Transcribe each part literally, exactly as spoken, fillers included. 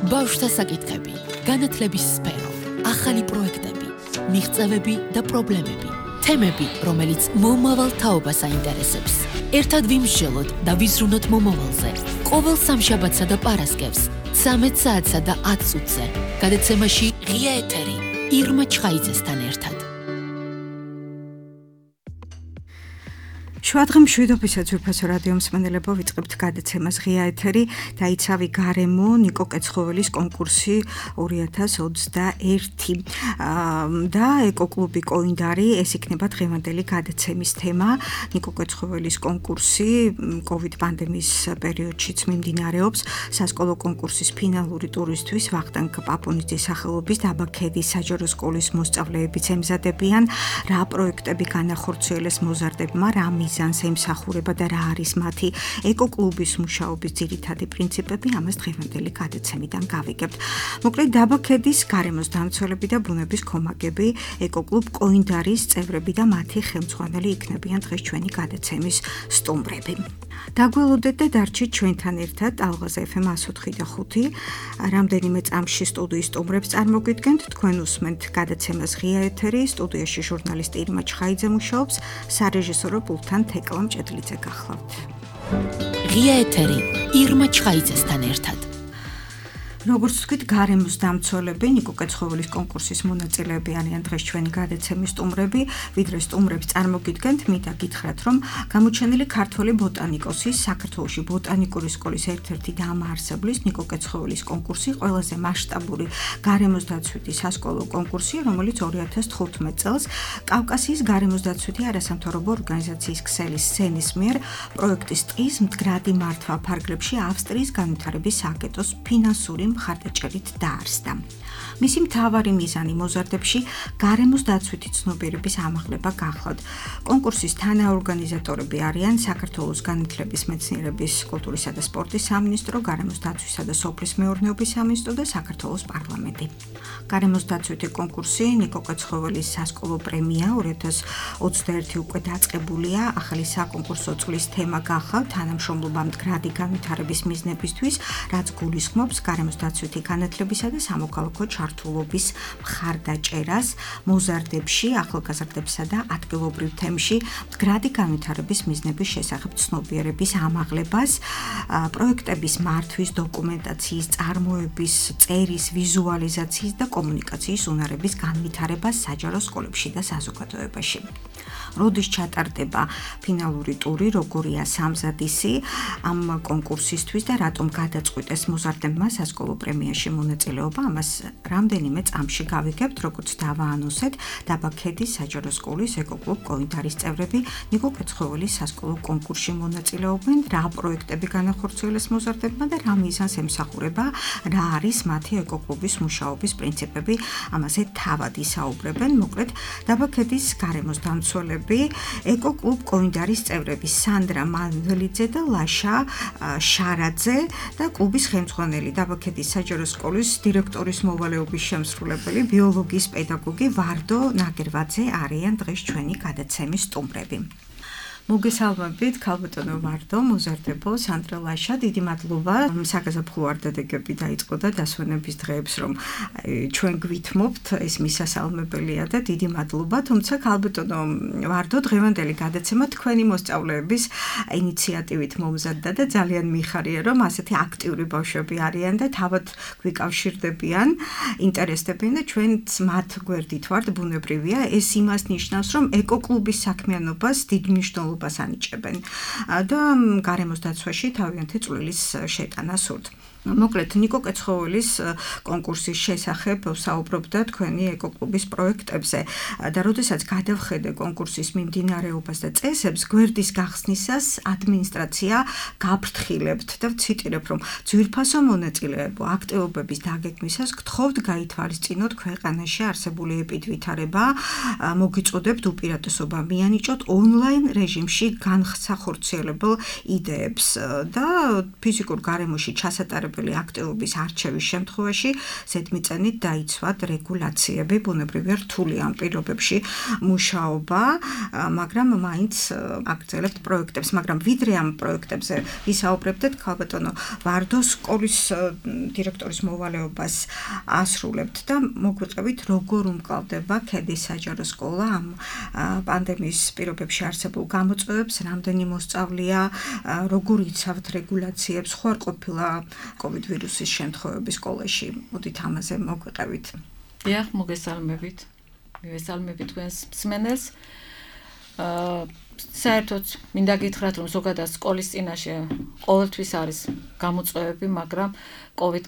ბავშვთა საკითხები, განათლების სფერო, ახალი პროექტები, მიღწევები და პრობლემები, თემები, რომელიც მომავალ თაობას აინტერესებს. ერთად ვიმსჯელოთ და ვიზრუნოთ მომავალზე. ყოველ სამშაბათსა და პარასკევს, ცამეტ საათსა და ათ წუთზე. გადაცემაში ღია ეთერი, ირმა ჩხაიძესთან ერთად. შუადღე მშვიდობისა ძვირფასო რადიო მსმენელებო, ვიწყებთ გადაცემას ღია ეთერი და იცავი გარემო ნიკო კეცხოველის კონკურსი ორი ათას ოცდაერთი და ეკოკლუბი კოინდარი, ეს იქნება დღევანდელი გადაცემის თემა. ნიკო კეცხოველის კონკურსი კოვიდ პანდემიის პერიოდშიც მიმდინარეობს. სასკოლო კონკურსის ფინალური ტურისთვის ვახტანგ პაპონიძის სახელობის დაბა ქედის საჯარო სკოლის მოსწავლეებიც ემზადებიან. რა პროექტები განახორციელეს მოზარდებმა, რა მიზანს ემსახურება და რა არის მათი ეკოკლუბის მუშაობის ძირითადი პრინციპები, ამას დღევანდელი გადაცემიდან გავიგებთ. მოკლედ, დაბა ქედის გარემოს დამცველები და ბუნების კომაგები, ეკოკლუბ კოინდარის წევრები და მათი ხელმძღვანელი იქნებიან დღეს ჩვენი გადაცემის სტუმრები. დაგველოდეთ და დარჩით ჩვენთან ერთად ალღაზ ეფ ემ εκατო ოთხი და ხუთი. რამდენიმე წამში სტუდიის სტუმრებს წარმოგიდგენთ, თქვენ უსმენთ გადაცემას ღია ეთერი, სტუდიაში ჟურნალისტი ირმა ჩხაიძე მუშაობს, სარეჟისორო პულტთან თეკლა მჭედლიძე გახლავთ. ღია ეთერი, ირმა ჩხაიძესთან ერთად. როგორც ვთქვით, გარემოს დამცველები, ნიკო კეცხოველის კონკურსის მონაწილეები არიან დღეს ჩვენი გადაცემის სტუმრები. ვიდრე სტუმრებს წარმოგიდგენთ, მინდა გითხრათ, რომ გამოჩენილი ქართველი ბოტანიკოსის, საქართველოში ბოტანიკური სკოლის ერთ-ერთი დამაარსებლის ნიკო კეცხოველის კონკურსი ყველაზე მასშტაბური გარემოს დაცვითი სასკოლო კონკურსია, რომელიც ორი ათას თხუთმეტ წელს კავკასიის გარემოს დაცვითი არასამთავრობო ორგანიზაციის ქსელის სენის მიერ პროექტის ტყის მდგრადი მართვა ფარგლებში ავსტრიის განვითარების სააგენტოს ფინანსური მხარდაჭერით დაარსდა. მისი მთავარი მიზანი მოზარდებში გარემოს დაცვითი ცნობიერების ამაღლება გახლავთ. კონკურსის თანაორგანიზატორები არიან საქართველოს განათლების, მეცნიერების, კულტურისა და სპორტის სამინისტრო, გარემოს დაცვისა და სოფლის მეურნეობის სამინისტრო და საქართველოს პარლამენტი. გარემოს დაცვითი კონკურსი ნიკო კეცხოველის სასკოლო პრემია ორი ათას ოცდაერთი უკვე დაწყებულია. ახალი საკონკურსო წლის თემა გახლავთ თანამშრომლობა მდგრადი განვითარების მიზნებისთვის, რაც გულისხმობს გარემოს დაცვითი განათლებისა და სამოქალაქო ჩართულობის მხარდაჭერას მოზარდებში, ახალგაზრდებსა და ადგილობრივ თემში მდგრადი განვითარების მიზნების შესახებ ცნობიერების ამაღლებას, პროექტების მართვის, დოკუმენტაციის, წარმოების, წერის, ვიზუალიზაციის და კომუნიკაციის უნარების განვითარებას საჯარო სკოლებში და საზოგადოებაში. როდის ჩატარდება ფინალური ტური, როგორია სამზადისი ამ კონკურსისთვის და რატომ გადაწყვიტეს მოზარდებმა სასკოლო პრემიაში მონაწილეობა, ამას რამდენიმე წამში გავიგებთ, როგორც დავაანონსეთ. დაბა ქედის საჯარო სკოლის ეკოკლუბ კოინდარის წევრები ნიკო კეცხოველის სასკოლო კონკურსში მონაწილეობენ, რა პროექტები განახორციელეს მოზარდებმა და რა მიზანს ემსახურება, რა არის მათი ეკოკლუბის მუშაობის პრინციპები, ამაზე თავად ისაუბრებენ. მოკლედ, დაბა ქედის გარემოს დამცველები, ეკოკლუბ კოინდარის წევრები სანდრა მანველიძე და ლაშა შარაძე და კლუბის ხელმძღვანელი დაბა ქედის საჯარო სკოლის დირექტორის მოვალეობის შემსრულებელი, ბიოლოგიის პედაგოგი ვარდო ნაგერვაძე არიან დღეს ჩვენი გადაცემის სტუმრები. მოგესალმებით, ქალბატონო ვარდო, მოზარდებო, სანდრა ლაშა, დიდი მადლობა. საგაზაფხულო არდადეგები დაიწყო და დასვენების დღეებს რომ ჩვენ გვითმობთ, ეს მისასალმებელია და დიდი მადლობა. თუმცა ქალბატონო ვარდო, დღევანდელი გადაცემა თქვენი მოსწავლეების ინიციატივით მომზადდა და ძალიან მიხარია, რომ ასეთი აქტიური ბავშვები არიან და თავად გვიკავშირდებიან, ინტერესდებიან და ჩვენც მათ გვერდით ვართ, ბუნებრივია. ეს იმას ნიშნავს, რომ ეკოკლუბის საქმიანობას დიდ მნიშვნელობას ანიჭებენ და გარემოს დაცვაში თავიანთი წვლილის შეტანა სურთ. მოკლედ, ნიკო კეცხოველის კონკურსის შესახებ საუბრობდა თქვენი ეკოკლუბის პროექტებზე და როდესაც გადავხედე კონკურსის მიმდინარეობას და წესებს, გვერდის გახსნისას ადმინისტრაცია გაფრთხილებთ და ვციტირებ, რომ ძვირფასო მონაწილეებო აქტივობების დაგეგმისას გთხოვთ გაითვალისწინოთ ქვეყანაში არსებული ეპიდვითარება, მოგიწოდებთ უპირატესობა მიანიჭოთ ონლაინ რეჟიმში განსახორციელებელ იდეებს და ფიზიკურ გარემოში ჩასატარებელ მასწავლებელი აქტივობის არჩევის შემთხვევაში ზედმიწევნით დაიცვათ რეგულაციები, ბუნებრივია რთული ამ პირობებში მუშაობა, მაგრამ მაინც აგრძელებთ პროექტებს, მაგრამ ვიდრე ამ პროექტებზე ვისაუბრებდეთ, ქალბატონო ვარდოს სკოლის დირექტორის მოვალეობას ასრულებთ და მოგვიყევით, როგორ უმკლავდება ქედის საჯარო სკოლა ამ პანდემიის პირობებში არსებულ გამოწვევებს, რამდენი მოსწავლეა, როგორ იცავთ რეგულაციებს, ხო არ ყოფილა კოვიდ ვირუსის შემთხვევები სკოლაში. მოდით ამაზე მოგვიყევით. დიახ, მოგესალმებით. მივესალმებით თქვენს მსმენელს. აა საერთოდ მინდა გითხრათ, რომ ზოგადად სკოლის წინაშე ყოველთვის არის გამოწვევები, მაგრამ კოვიდ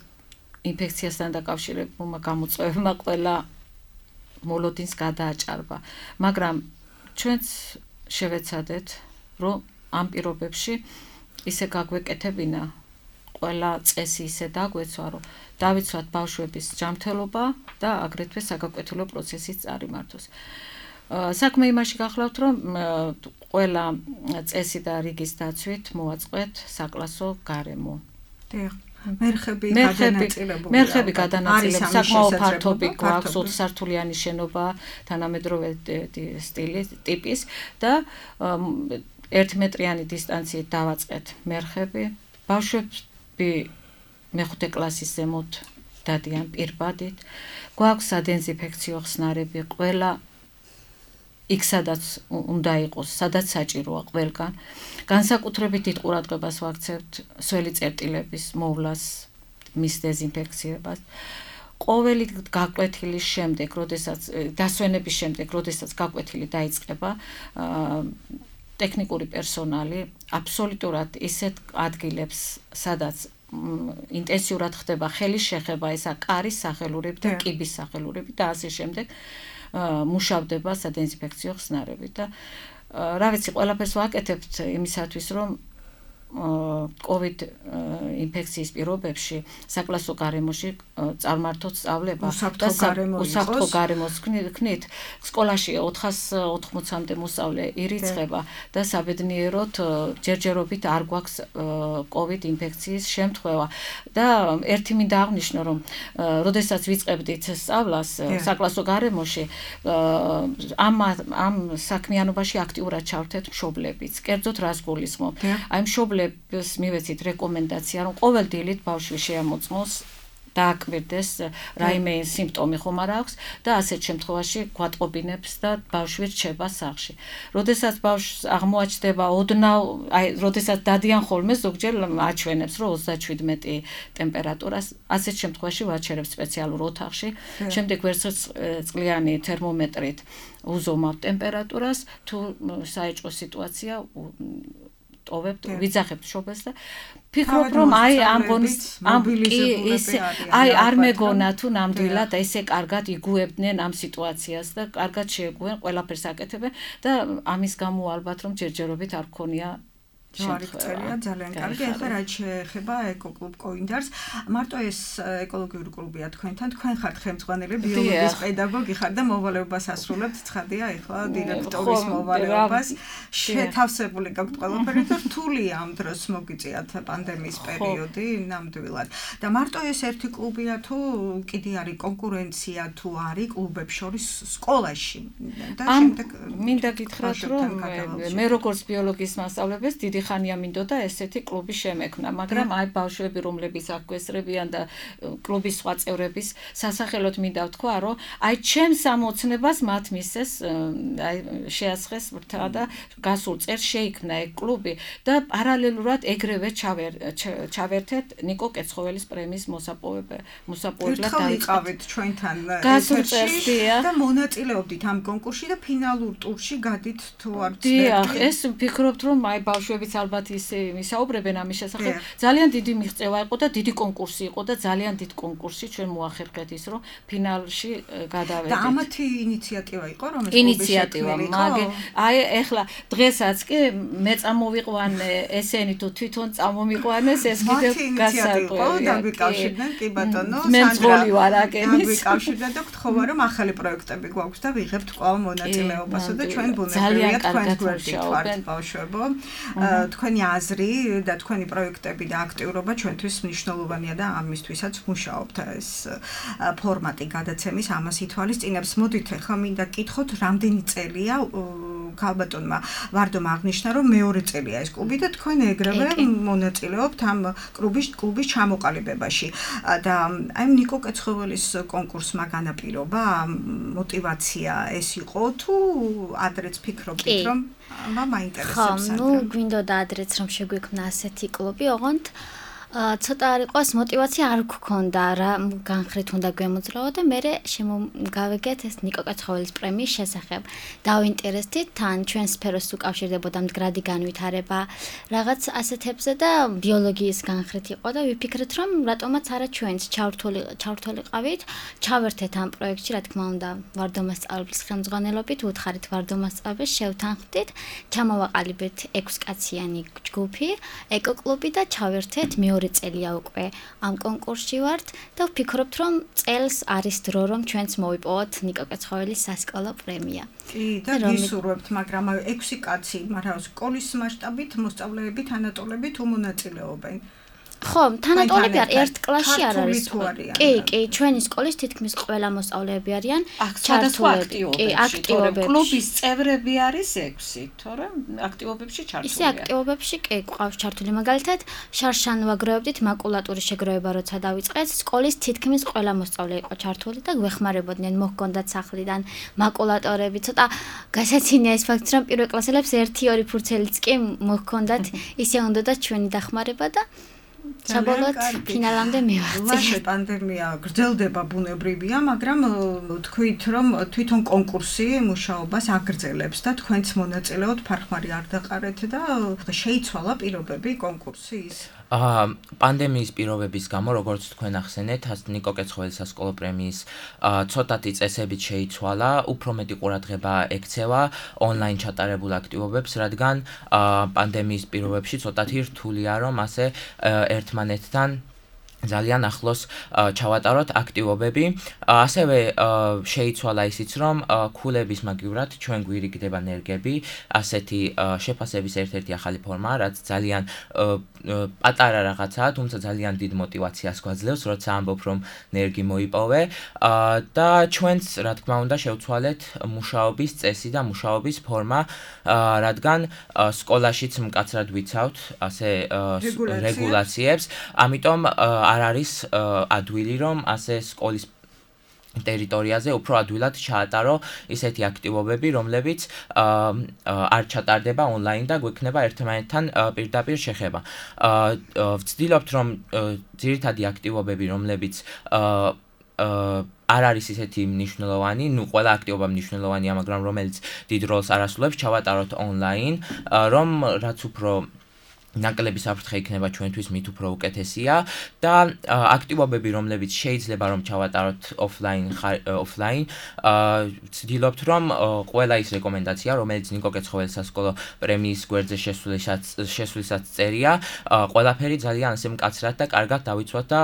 ინფექციასთან დაკავშირებულმა გამოწვევებმა ყველა მოლოდინს გადააჭარბა. მაგრამ ჩვენც შევეცადეთ, რომ ამ პირობებში ისე გაგვეკეთებინა ყველა წესი ისე დაგვეცვა, რომ დავიცვათ ბავშვების ჯანმრთელობა და აგრეთვე საგაკვეთილო პროცესის წარიმართვას. საქმე იმაში გახლავთ, რომ ყველა წესი და რიგის დაცვით მოვაწყეთ საკლასო გარემო. მერხები გადანაწილებული. მერხები გადანაწილებული, საკმაოდ ფართობი გვაქვს, ოთხ სართულიანი შენობა, თანამედროვე სტილის, ტიპის და ერთმეტრიანი დისტანციით დავაწყეთ მერხები. ბავშვები მეხუთე კლასის ზემოთ დადიან პირბადით. გვაქვს სადეზინფექციო ხსნარები, ყველა იქ სადაც უნდა იყოს, სადაც საჭიროა ყველგან. განსაკუთრებით დიდ ყურადღებას ვაქცევთ სველი წერტილების მოვლას, მის დეზინფექციებას. ყოველი გაკვეთილის შემდეგ, როდესაც დასვენების შემდეგ, როდესაც გაკვეთილი დაიწყება, ტექნიკური პერსონალი აბსოლუტურად ისეთ ადგილებს, სადაც ინტენსიურად ხდება ხელის შეხება, ესა კარის სახელურები და კიბის სახელურები და ასე შემდეგ მუშავდება სადეზინფექციო ხსნარები და რა ვიცი, ყველაფერს ვაკეთებთ იმისათვის, რომ კოვიდ ინფექციის პირობებში საკლასო გარემოში წარმართოთ სწავლება და უსაფრთხო გარემოს ქნით სკოლაში ოთხას ოთხმოცამდე მოსწავლე ირიცხება და საბედნიეროდ ჯერჯერობით არ გვაქვს კოვიდ ინფექციის შემთხვევა და ერთი მინდა აღნიშნო, რომ როდესაც ვიწყებდით სწავლას საკლასო გარემოში ამ ამ საქმიანობაში აქტიურად ჩავთეთ მშობლებიც. კერძოდ რას გულისხმობ? აი მშობლები მივეცით რეკომენდაცია, რომ ყოველ დილით ბავშვი შეამოწმოს დააკვირდეს რაიმე სიმპტომი ხომ არ აქვს და ასეთ შემთხვევაში გვატყობინებს და ბავშვი რჩება სახლში. როდესაც ბავშვს აღმოაჩნდება ოდნავ, აი, როდესაც დადიან ხოლმე ზოგჯერ აჩვენებს, რომ ოცდაშვიდმეტი ტემპერატურას, ასეთ შემთხვევაში ვაჩერებ სპეციალურ ოთახში, შემდეგ ვერცხლიანი თერმომეტრით უზომავ ტემპერატურას, თუ საეჭვო სიტუაცია ტოვებთ, ვიძახებთ შობელს და ფიქრობ, რომ აი ამ გონის ამ ისე აი არ მეგონა თუ ნამდვილად ესე კარგად იგუებდნენ ამ სიტუაციას და კარგად შეეგუენ, ყველაფერს აკეთებენ და ამის გამო ალბათ რომ ჯერჯერობით არ გქონია შემთხვევა. ძალიან კარგი. ახლა რაც შეეხება ეკოკლუბ კოინდარს, მარტო ეს ეკოლოგიური კლუბია თქვენთან, თქვენ ხართ ხელმძღვანელი, ბიოლოგიის პედაგოგი ხართ და მოვალეობას ასრულებთ, ცხადია, ახლა დირექტორის მოვალეობას. შეთავსებული გაქვთ ყველაფერი და რთულია ამ დროს მოგიწიათ პანდემიის პერიოდი ნამდვილად. და მარტო ეს ერთი კლუბია თუ კიდე არის კონკურენცია თუ არის კლუბებს შორის სკოლაში და შემდეგ მინდა გითხრათ, რომ მე როგორც ბიოლოგიის მასწავლებელს დიდი ხანია მინდოდა ესეთი კლუბი შემექმნა, მაგრამ აი ბავშვები, რომლებიც აქ გვესწრებიან და კლუბის სხვა წევრების სასახელოდ მინდა ვთქვა, რომ აი ჩემს ამოცნებას მათ მისცეს, აი შეასხეს ვრთა და გასულ წელს შეიქმნა ეგ კლუბი და პარალელურად ეგრევე ჩავერთეთ ნიკო კეცხოველის პრემიის მოსაპოვებლად დაიწყეთ ჩვენთან ეთერში და მონაწილეობდით ამ კონკურსში და ფინალურ ტურში გადით თუ არ ვცდები. დიახ, ეს ვფიქრობთ, რომ აი ბავშვებიც ალბათ ისე მისაუბრებენ ამის შესახებ. ძალიან დიდი მიღწევა იყო და დიდი კონკურსი იყო და ძალიან დიდ კონკურსში ჩვენ მოახერხეთ ის, რომ ფინალში გადავედით. და ამათი ინიციატივა იყო, რომ ეს ინიციატივა, მაგ აი ეხლა დღესაც კი მე წამოვიყვანე ესენი თუ თვითონ წამომიყვანეს ეს კიდევ გასაკვირია. დაგვიკავშირდნენ, კი ბატონო, მე მძღოლი ვარ აკენის. დაგვიკავშირდნენ და გთხოვა, რომ ახალი პროექტები გვაქვს და ვიღებთ კვლავ მონაწილეობასა და ჩვენ ბუნებრივია თქვენს გვერდით ვართ ბავშვებო. თქვენი აზრი და თქვენი პროექტები და აქტიურობა ჩვენთვის მნიშვნელოვანია და ამისთვისაც მუშაობთ ეს ფორმატი გადაცემის ამას ითვალისწინებს. მოდით ახლა მინდა გკითხოთ, რამდენი წელია ქალბატონმა ვარდომ აღნიშნა, რომ მეორე წელია ეს კლუბი და თქვენ ეგრევე მონაწილეობთ ამ კლუბის კლუბის ჩამოყალიბებაში და აი ნიკო კეცხოველის კონკურსმა განაპირობა мотивация ეს იყო თუ ადრეც ფიქრობთ რომ მაინტერესებს ხო, ნუ გვინდოდა ადრეც რომ შეგვიქმნა ასეთი კლუბი, ოღონდ ცოტა არ იყოს мотивация არ გქონდა რა განხრით უნდა გვემოძრაო და მე შემოგავეგეთ ეს ნიკო კეცხოველის პრემიის შესახებ. დავინტერესდით თან ჩვენ სფეროს უკავშირდებოდა მდგრადი განვითარება რაღაც ასეთებზე და ბიოლოგიის განხრით იყო და ვიფიქრეთ რომ რატომაც არა ჩვენც ჩავრთული ჩავრთულიყავით, ჩავერთეთ ამ პროექტში, რა თქმა უნდა, ვარდომასწავლებლის ხელმძღვანელობით უთხარით ვარდომასწავლებს შევთანხმდით, ჩამოვაყალიბეთ ექვს კაციანი ჯგუფი, ეკოკლუბი და ჩავერთეთ მეორე წელია უკვე ამ კონკურსში ვართ და ვფიქრობთ რომ წელს არის დრო რომ ჩვენც მოვიპოვოთ ნიკო კეცხოველის სასკოლო პრემია. კი და გისურვებთ, მაგრამ ექვსი კაცი, მაგრამ სკოლის მასშტაბით მოსწავლეები თანატოლები თუ მონაწილეობენ? ხო, თანატოლები არ ერთ კლასში არ არის. კი, კი, ჩვენი სკოლის თითქმის ყველა მოსწავლეები არიან ჩართულები. კი, აქტივობებში. კლუბის წევრები არის ექვსი, თორემ აქტივობებში ჩართულია. ისე აქტივობებში კი ყავს ჩართული. მაგალითად, შარშან ვაგროვებდით მაკულატურის შეგროვება როცა დავიწყეთ, სკოლის თითქმის ყველა მოსწავლე იყო ჩართული და გვეხმარებოდნენ, მოჰქონდათ სახლიდან მაკულატორები. ცოტა გასაცინია ეს ფაქტი, რომ პირველ კლასელებს ერთი ორი ფურცელიც კი მოჰქონდათ, ისე უნდათ ჩვენი დახმარება და საბოლოოდ ფინალამდე მივაღწია. ლაშე პანდემია გრძელდება ბუნებრივია, მაგრამ თქვით რომ თვითონ კონკურსი მუშაობას აგრძელებს და თქვენც მონაწილეობთ, ფარხმარი არ დაყარეთ და შეიცვალა პირობები კონკურსის. აა პანდემიის პირობების გამო, როგორც თქვენ ახსენეთ, ნიკო კეცხოველის სასკოლო პრემიის ცოტათი წესებით შეიცვალა, უფრო მეტი ყურადღება ექცევა ონლაინ ჩატარებულ აქტივობებს, რადგან პანდემიის პირობებში ცოტათი რთულია რომ ასე ერთმანეთთან ძალიან ახლოს ჩავატაროთ აქტივობები. ასევე შეიცვალა ისიც, რომ ქულების მაგივრად ჩვენ გვირიგდება ნერგები, ასეთი შეფასების ერთ-ერთი ახალი ფორმაა, რაც ძალიან პატარა რაღაცაა, თუმცა ძალიან დიდ мотивაციას გვაძლევს, როცა ამბობ, რომ ნერგი მოიპოვე და ჩვენც, რა თქმა უნდა, შევცვალეთ მუშაობის წესი და მუშაობის ფორმა, რადგან სკოლაშიც მკაცრად ვიცავთ ასე რეგულაციებს, ამიტომ არ არის ადვილი რომ ასე სკოლის ტერიტორიაზე უფრო ადვილად ჩაატარო ისეთი აქტივობები, რომლებიც არ ჩატარდება ონლაინ და გვექნება ერთმანეთთან პირდაპირ შეხება. ვცდილობთ რომ ძირითადი აქტივობები, რომლებიც არ არის ისეთი მნიშვნელოვანი, ნუ ყველა აქტივობა მნიშვნელოვანია, მაგრამ რომელიც დიდ როლს არ ასრულებს, ჩავატაროთ ონლაინ, რომ რაც უფრო ნაკლები საფრთხე იქნება ჩვენთვის მით უფრო უკეთესია და აქტივობები, რომლებიც შეიძლება რომ ჩავატაროთ ოფლაინ ოფლაინ, ვცდილობთ რომ ყველა ის რეკომენდაცია, რომელიც ნიკო კეცხოველის სასკოლო პრემიის გვერდზე შესვლისას შესვლისას წერია, ყველაფერი ძალიან ასე მკაცრად და კარგად დავიცვათ და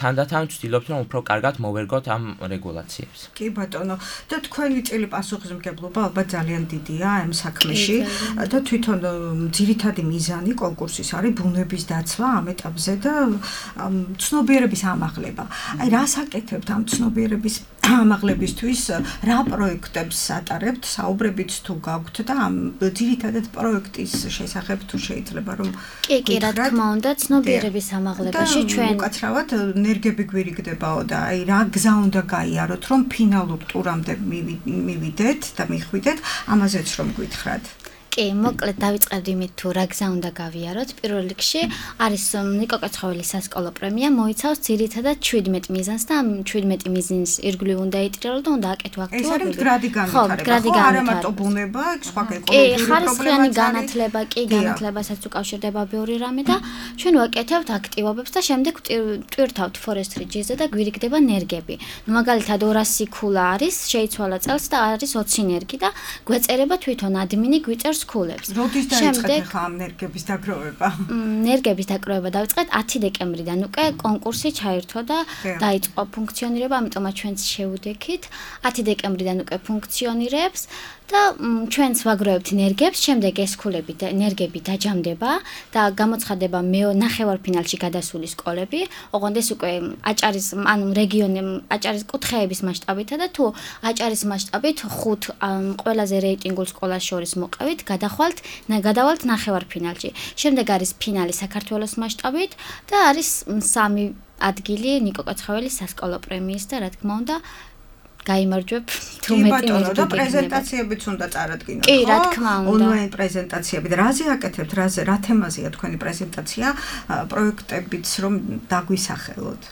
თანდათან ვცდილობთ რომ უფრო კარგად მოვერგოთ ამ რეგულაციებს. კი ბატონო, და თქვენი წილი პასუხისმგებლობა ალბათ ძალიან დიდია ამ საქმეში და თვითონ ძირითადი მიზანი კონკურსის არის ბუნების დაცვა ამ ეტაპზე და ცნობიერების ამაღლება. აი რას აკეთებთ ამ ცნობიერების ამაღლებისთვის, რა პროექტებს ატარებთ, საუბრებით თუ გაქვთ და ამ ძირითადად პროექტის შესახებ თუ შეიძლება რომ კი, კი, რა თქმა უნდა, ცნობიერების ამაღლებაში ჩვენ უკაცრავად ნერგები გვირიგდებაო და აი რა გზა უნდა გაიაროთ, რომ ფინალურ ტურამდე მივიდეთ და მიხვიდეთ, ამაზეც რომ გითხრათ. კი, მოკლედ დავიწყებდი იმით თუ რა გზა უნდა გავიაროთ. პირველ რიგში არის ნიკო კეცხოველის სასკოლო პრემია, მოიცავს ძირითადად შვიდმეტ მიზანს და ამ შვიდმეტ მიზნის ირგვლივ უნდა ეიტირელო და უნდა აკეთო აქტივობები. ეს არის მდგრადი განვითარება, ხო, არა მარტო ბუნება, სხვა ეკოლოგიური პრობლემებიც არის. კი, ხარისხიანი განათლება, კი, განათლებასაც უკავშირდება ბევრი რამე და ჩვენ ვაკეთებთ აქტივობებს და შემდეგ ვტვირთავთ Forest Ridge-ზე და გვირიგდება ნერგები. ნუ მაგალითად ორასი ქულა არის, შეიცვალა წელს და არის ოცი ნერგი და გვეწერება თვითონ ადმინი გვიწერს ქულებს. როდის დაიწყეთ ხა ამ ნერგების დაგროვება? ნერგების დაგროვება დავიწყეთ ათი დეკემბრიდან. უკვე კონკურსი ჩაერთო და დაიწყო ფუნქციონირება, ამიტომაც ჩვენც შევუდექით. ათი დეკემბრიდან უკვე ფუნქციონირებს და ჩვენც ვაგროვებთ ენერგიებს, შემდეგ ეს ქულები და ენერგიები დაჯამდება და გამოცხადება მე ნახევარფინალში გადასული სკოლები, ოღონდ ეს უკვე აჭარის ანუ რეგიონი აჭარის კუთხეების მასშტაბითა და თუ აჭარის მასშტაბით ხუთ ყველაზე რეიტინგულ სკოლას შორის მოყევით, გადახვალთ, გადავალთ ნახევარფინალში. შემდეგ არის ფინალი საქართველოს მასშტაბით და არის სამი ადგილი ნიკო კაცხოველის სასკოლო პრემიის და რა თქმა უნდა გაიმარჯვებ თუ მეტი მეტი და პრეზენტაციებიც უნდა წარადგინოთ. კი, რა თქმა უნდა. ონლაინ პრეზენტაციები და რაზე აკეთებთ, რაზე რა თემაზეა თქვენი პრეზენტაცია, პროექტებიც რომ დაგვისახელოთ.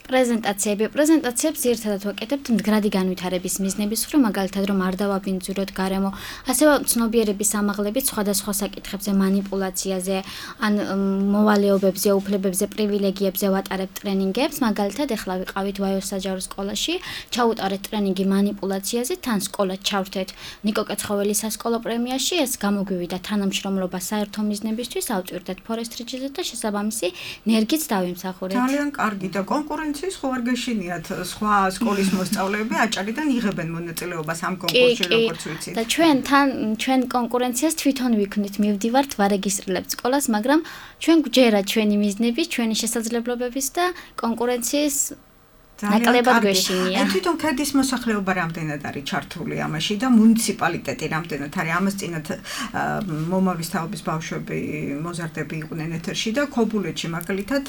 პრეზენტაციები, პრეზენტაციებს ერთადად ვაკეთებთ მდგრადი განვითარების მიზნების მხრივ, მაგალითად რომ არ დავაბინძუროთ გარემო, ასევე ცნობიერების ამაღლებით სხვადასხვა საკითხებზე, манипуляციაზე, ან მოვალეობებზე, უფლებებზე, პრივილეგიებზე ვატარებთ ტრენინგებს, მაგალითად ეხლა ვიყავით ვაიოს საჯარო სკოლაში, ჩაუტარეთ ტრენინგი манипуляციაზე, თან სკოლა ჩავრთეთ ნიკო კაცხოველის სასკოლო პრემიაში, ეს გამოგვივიდა თანამშრომლობა საერთო მიზნებისთვის, ავწვირდეთ ფორესტრიჯზე და შესაბამისი ნერგიც დავიმსახურეთ. ძალიან კარგი და კონკურენციის ხო არ გეშინიათ სხვა სკოლის მოსწავლეები აჭარიდან იღებენ მონაწილეობას ამ კონკურსში როგორც ვიცით. და ჩვენ თან ჩვენ კონკურენციას თვითონ ვიქნით, მივდივართ, ვარეგისტრირებთ სკოლას, მაგრამ ჩვენ გვჯერა ჩვენი მიზნები, ჩვენი შესაძლებლობების და კონკურენციის ნაკლებად გვეშინია. აი თვითონ ქედის მოსახლეობა რამდენად არის ჩართული ამაში და მუნიციპალიტეტი რამდენად არის? ამას წინათ მომავლის თაობის ბავშვები მოზარდები იყვნენ ეთერში და ქობულეთში მაგალითად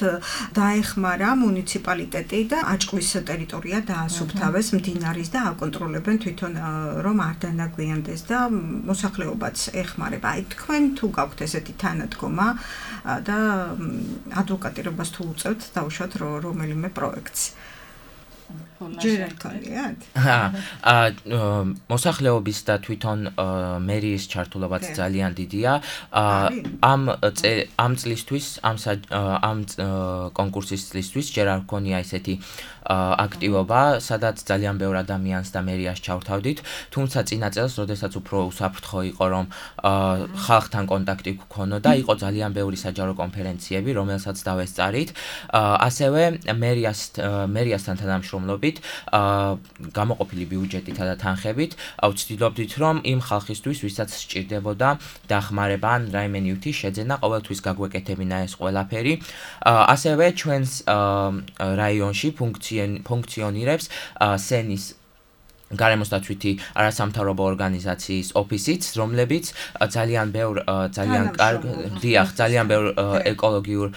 დაეხმარა მუნიციპალიტეტი და აჭყვის ტერიტორია დაასუფთავეს მდინარის და აკონტროლებენ თვითონ რომ არ დანაგვიანდეს და მოსახლეობაც ეხმარება. აი თქვენ თუ გაქვთ ესეთი თანადგომა და ადვოკატირებას თუ უწევთ დაუშვათ რომელიმე პროექტს. ჯერალკალიად. აა მოსახლეობის და თვითონ მერიის ჩართულობაც ძალიან დიდია. ამ ამ წლისთვის, ამ ამ კონკურსის წლისთვის ჯერ არ გქონია ესეთი აქტივობა, სადაც ძალიან ბევრ ადამიანს და მერიას ჩავთავდით, თუმცა წინა წელს, როდესაც უფრო უსაფრთხო იყო, რომ ხალხთან კონტაქტი გქონოდა, იყო ძალიან ბევრი საჯარო კონფერენციები, რომელსაც დავესწარით. ასევე მერიას მერიასთან თანამშრომლობით, გამოყოფილი ბიუჯეტითა და თანხებით, ვცდილობდით, რომ იმ ხალხისთვის, ვისაც სჭირდებოდა დახმარება ან რაიმე ნივთი შეძენა, ყოველთვის გაგვეკეთებინა ეს ყველაფერი. ასევე ჩვენს რაიონში ფუნქციონირებს სენის გარემოსდაცვითი არასამთავრობო ორგანიზაციის ოფისიც, რომლებიც ძალიან ბევრ ძალიან კარგ დიახ, ძალიან ბევრ ეკოლოგიურ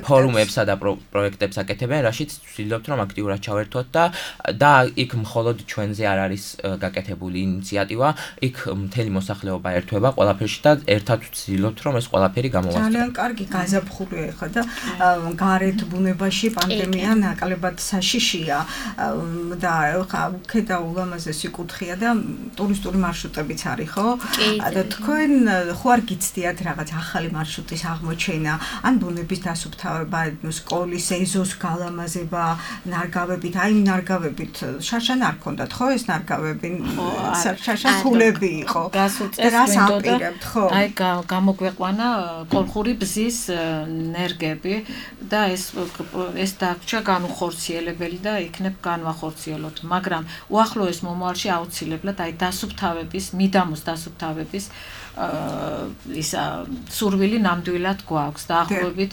ფორუმებსა და პროექტებს აკეთებენ, რაშიც ვცდილობთ, რომ აქტიურად ჩავერთოთ და და იქ მხოლოდ ჩვენზე არ არის გაკეთებული ინიციატივა, იქ მთელი მოსახლეობა ერთვება ყველაფერში და ერთად ვცდილობთ, რომ ეს ყველაფერი გამოვასწროთ. ძალიან კარგი გაზაფხულია ხა და გარეთ ბუნებაში პანდემია ნაკლებად საშიშია და ხა და ულამაზესი კუთხეა და ტურისტული მარშრუტებიც არის, ხო? და თქვენ ხო არ გიცდიათ რაღაც ახალი მარშრუტის აღმოჩენა, ან ბუნების დასუფთავება, სკოლის ეზოს გალამაზება, ნარგავებით, აი ნარგავებით, შაშან არ ქონდათ, ხო ეს ნარგავები? შაშა ქულები იყო. რას ამპირებთ, ხო? აი გამოგვეყვანა კოლხური ბზის ნერგები და ეს ეს დაგჭა განუხორციელებელი და იქნებ განვახორციელოთ, მაგრამ უახლოეს მომავალში აუცილებლად აი დასუფთავების, მიდამოს დასუფთავების ისა სურვილი ნამდვილად გვაქვს. დაახლოებით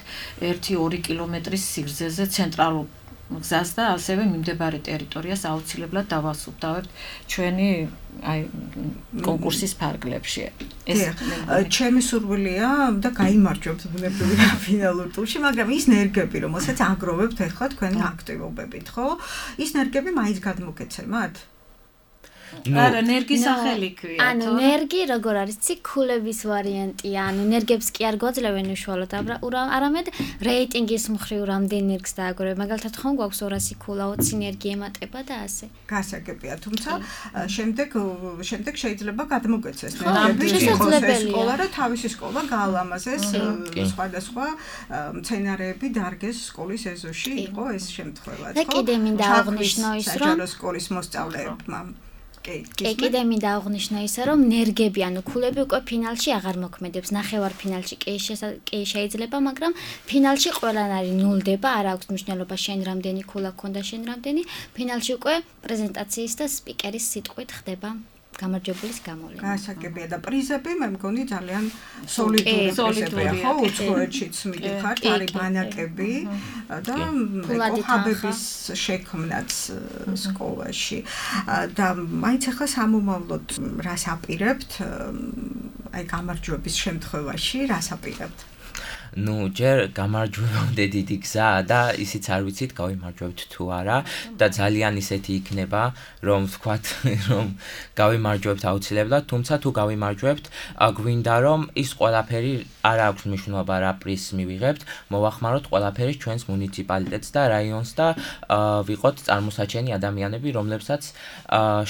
ერთი ორი კილომეტრის სიგრძეზე ცენტრალურ გზას და ასევე მიმდებარე ტერიტორიას აუცილებლად დავასუფთავებთ ჩვენი აი კონკურსის ფარგლებში. ეს ჩემი სურვილია და გაიმარჯვებთ ბუნებრივი ფინალურ ტურში, მაგრამ ის ნერგები, რომელსაც აგროვებთ ახლა თქვენი აქტივობებით, ხო? ის ნერგები მაინც გადმოგეცემათ? არა, ნერგი სახელი ქვია. ანუ ნერგი როგორ არის, ციკულების ვარიანტია, ანუ ნერგებს კი არ გვაძლევენ უშუალოდ, არამედ რეიტინგის მხრივ რამდენ ნერგს დააგროვებ. მაგალითად, ხომ გვაქვს ორასი ქულა, ოცი ნერგი ემატება და ასე. გასაგებია, თუმცა შემდეგ შემდეგ შეიძლება გადმოგეცეს ნერგები, იყოს ეს სკოლა და თავისი სკოლა გაალამაზეს, სხვადასხვა მცენარეები დარგეს სკოლის ეზოში, იყო ეს შემთხვევა, ხო? და კიდე მინდა აღვნიშნო ის, რომ საჯარო სკოლის მოსწავლეებმა კი, კიდე მინდა აღვნიშნო ისა, რომ ნერგები, ანუ ქულები უკვე ფინალში აღარ მოქმედებს. ნახევარ ფინალში კი შეიძლება, მაგრამ ფინალში ყველანაირი ნულდება, არ აქვს მნიშვნელობა შენ რამდენი ქულა გქონდა, შენ რამდენი. ფინალში უკვე პრეზენტაციის და სპიკერის სიტყვით ხდება გამარჯვებულის გამოვლენა. გასაგებია და პრიზები მე მგონი ძალიან სოლიდური პრიზებია, ხო, უცხოეთშიც მიდიხართ, არის ბანაკები და კოჰაბების შექმნაც სკოლაში. და მაინც ახლა სამომავლოდ რას აპირებთ? აი გამარჯვების შემთხვევაში რას აპირებთ? ნუ ჯერ გამარჯვებამდე დიდი გზაა და ისიც არ ვიცით გავიმარჯვებთ თუ არა და ძალიან ისეთი იქნება რომ ვთქვათ რომ გავიმარჯვებთ აუცილებლად თუმცა თუ გავიმარჯვებთ გვინდა რომ ის ყველაფერი არ აქვს მნიშვნელობა რა პრიზს მივიღებთ მოვახმაროთ ყველაფერი ჩვენს მუნიციპალიტეტს და რაიონს და ვიყოთ წარმოსაჩენი ადამიანები რომლებსაც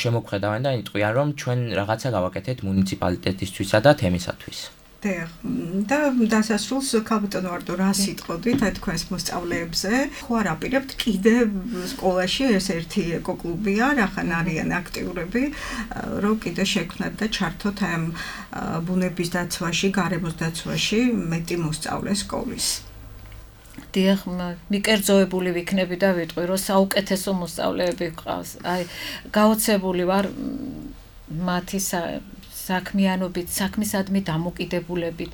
შემოგხედავენ და იტყვიან რომ ჩვენ რაღაცა გავაკეთეთ მუნიციპალიტეტისთვისა და თემისათვის და დასასრულს ქალბატონო ვარდო რა სიტყოდით აი თქვენს მოსწავლეებზე ხო არ აპირებთ კიდევ სკოლაში ეს ერთი ეკოკლუბია რახან არიან აქტიურები რომ კიდე შექმნათ და ჩართოთ ამ ბუნების დაცვაში გარემოს დაცვაში მეტი მოსწავლე სკოლის დიახ, მიკერძოებული ვიქნები და ვიტყვი რომ საუკეთესო მოსწავლეები გყავს აი გაოცებული ვარ მათი საქმიანობით, საქმისადმი დამოკიდებულებით.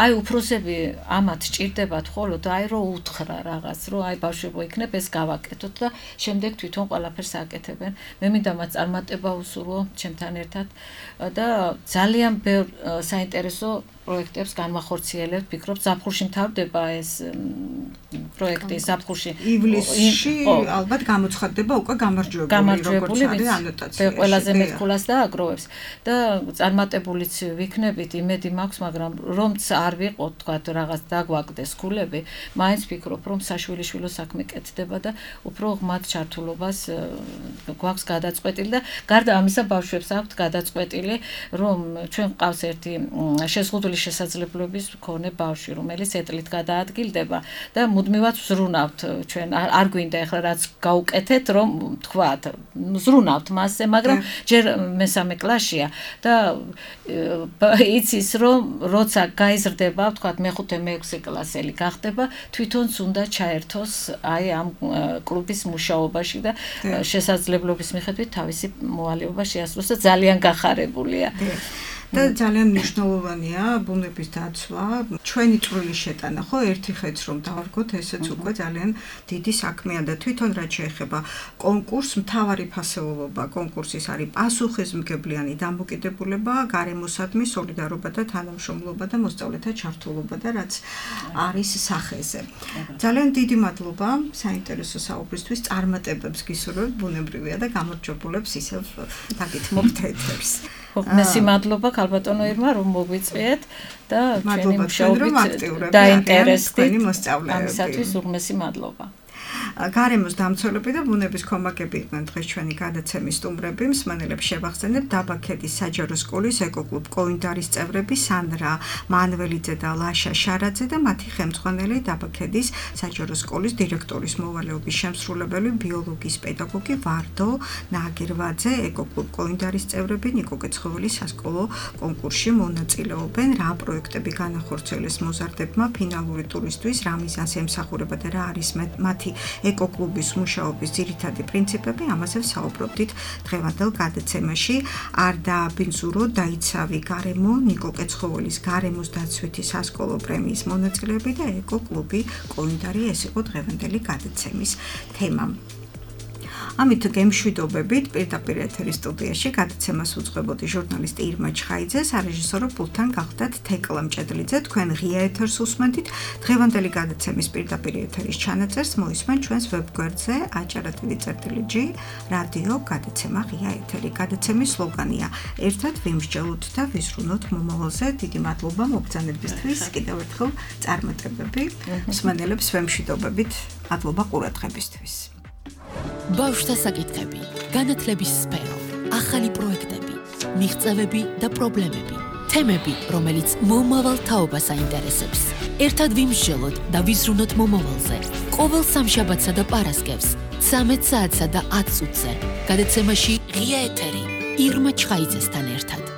აი უფროსები ამათ სჭირდებათ ხოლო და აი რომ უთხრა რაღაც, რომ აი ბავშვებო იქნებ ეს გავაკეთოთ და შემდეგ თვითონ ყველაფერს აკეთებენ. მე მინდა მათ წარმატება უსურვო ჩემთან ერთად და ძალიან ბევრ საინტერესო პროექტებს განვახორციელებთ. ვფიქრობ, ზაფხულში მთავრდება ეს პროექტი, ზაფხულში. ივლისში ალბათ გამოცხადდება უკვე გამარჯვებული, როგორც არის ანოტაციაში. ყველაზე მეტყულას დააგროვებს და წარმატებულიც ვიქნებით, იმედი მაქვს, მაგრამ რომც არ ვიყოთ, თქვა რაღაც დაგვაგდეს ქულები, მაინც ვფიქრობ, რომ საშვილიშვილო საქმე კეთდება და უფრო ღმად ჩართულობას გვაქვს გადაწყვეტილი და გარდა ამისა ბავშვებს აქვთ გადაწყვეტილი, რომ ჩვენ ყავს ერთი შეზღუდული შესაძლებლობის მქონე ბავშვი, რომელიც ეტლით გადაადგილდება და მუდმივად ვზრუნავთ ჩვენ არ გვინდა ახლა რაც გავუკეთეთ, რომ თქვათ, ვზრუნავთ მასზე, მაგრამ ჯერ მესამე კლასშია და იცის რომ როცა გაიზრდება, თქვათ მეხუთე მეექვსე კლასელი გახდება, თვითონც უნდა ჩაერთოს აი ამ კლუბის მუშაობაში და შესაძლებლობის მიხედვით თავისი მოვალეობა შეასრულოს და ძალიან გახარებულია. და ძალიან მნიშვნელოვანია ბუნების დაცვა. ჩვენი წვრილი შეტანა, ხო, ერთი ხეთს რომ დავარგოთ, ესეც უკვე ძალიან დიდი საქმეა და თვითონ რაც შეეხება კონკურსს, მთავარი ფასეულობა კონკურსის არის პასუხისმგებლიანი დამოკიდებულება, გარემოსადმი სოლიდარობა და თანამშრომლობა და მოსწავლეთა ჩართულობა და რაც არის სახეზე. ძალიან დიდი მადლობა საინტერესო საუბრისთვის, წარმატებებს გისურვებთ, ბუნებრივია და გამარჯვებულებს ისევ დაგითმობთ ეთერს. მესი მადლობა ქალბატონო ირმა რომ მოგვიწვიეთ და ჩვენი მუშაობით დაინტერესდით ამისათვის უღმესი მადლობა. გარემოს დამცველები და ბუნების კომაგები იყვნენ დღეს ჩვენი გადაცემის სტუმრები. მსმენელებს შევახსენებ დაბა ქედის საჯარო სკოლის ეკოკლუბ კოინდარის წევრები სანდრა მანველიძე და ლაშა შარაძე და მათი ხელმძღვანელი დაბა ქედის საჯარო სკოლის დირექტორის მოვალეობის შემსრულებელი ბიოლოგიის პედაგოგი ვარდო ნაგირვაძე. ეკოკლუბ კოინდარის წევრები ნიკო კეცხოველის სასკოლო კონკურსში მონაწილეობენ. რა პროექტები განახორციელეს მოზარდებმა ფინალური ტურისთვის, რა მიზანს ემსახურება და რა არის მათი ეკოკლუბის მუშაობის ძირითადი პრინციპები, ამაზე ვსაუბრობდით დღევანდელ გადაცემაში. არ დააბინძუროთ, დაიცავი გარემო, ნიკო კეცხოველის გარემოს დაცვითი სასკოლო პრემიის მონაწილეები და ეკოკლუბი კოინდარი, ეს იყო დღევანდელი გადაცემის თემა. ამით გემშვიდობებით პირდაპირ ეთერის სტუდიაში გადაცემას უძღვებოდი ჟურნალისტი ირმა ჩხაიძე, სარეჟისორო პულტთან გახდათ თეკლა მჭედლიძე. თქვენ ღია ეთერს უსმენთ. დღევანდელი გადაცემის პირდაპირ ეთერის ჩანაწერს მოისმენ ჩვენს ვებგვერდზე აჭარატილი წერტილი ჯი რადიო გადაცემა ღია ეთერი. გადაცემის სლოგანია ერთად ვიმსჯელოთ და ვიზრუნოთ მომავალზე. დიდი მადლობა მობრძანებისთვის. კიდევ ერთხელ წარმატებები. მსმენელებს ვემშვიდობებით. მადლობა ყურადღებისთვის. ბავშვთა საკითხები, განათლების სფერო, ახალი პროექტები, მიღწევები და პრობლემები, თემები, რომელიც მომავალ თაობას აინტერესებს. ერთად ვიმსჯელოთ და ვიზრუნოთ მომავალზე. ყოველ სამშაბათსა და პარასკევს, ცამეტ საათსა და ათ წუთზე. გადაცემაში ღია ეთერი ირმა ჩხაიძესთან ერთად.